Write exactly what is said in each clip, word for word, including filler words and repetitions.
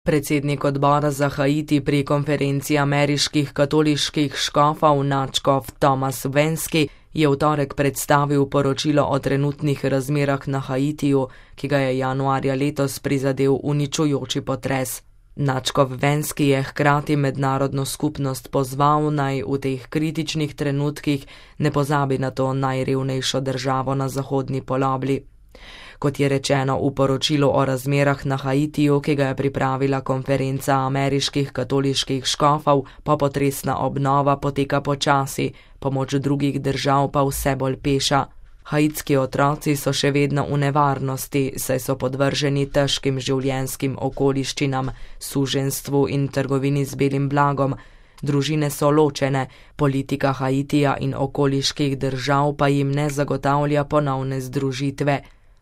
Predsednik odbora za Haiti pri konferenci ameriških katoliških škofov nadškof Thomas Vensky je v torek predstavil poročilo o trenutnih razmerah na Haitiju, ki ga je januarja letos prizadel uničujoči potres. Nadškof Vensky je hkrati mednarodno skupnost pozval, naj v teh kritičnih trenutkih ne pozabi na to najrevnejšo državo na zahodni polobli. Kot je rečeno v poročilu o razmerah na Haitiju, ki ga je pripravila konferenca ameriških katoliških škofov, popotresna obnova poteka počasi, pomoč drugih držav pa vse bolj peša. Haitski otroci so še vedno v nevarnosti, saj so podvrženi težkim življenjskim okoliščinam, suženjstvu in trgovini z belim blagom. Družine so ločene, politika Haitija in okoliških držav pa jim ne zagotavlja ponovne združitve.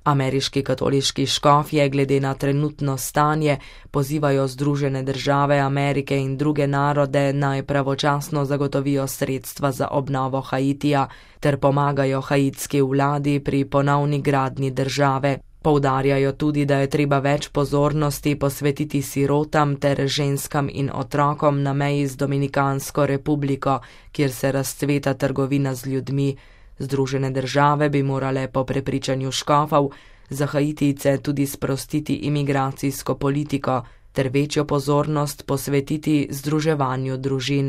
Ameriški katoliški škofje glede na trenutno stanje pozivajo Združene države Amerike in druge narode, naj pravočasno zagotovijo sredstva za obnovo Haitija ter pomagajo haitski vladi pri ponovni gradnji države. Poudarjajo tudi, da je treba več pozornosti posvetiti sirotam ter ženskam in otrokom na meji z Dominikansko republiko, kjer se razcveta trgovina z ljudmi. Združene države bi morale po prepričanju škofov za Haitijce tudi sprostiti imigracijsko politiko ter večjo pozornost posvetiti združevanju družin.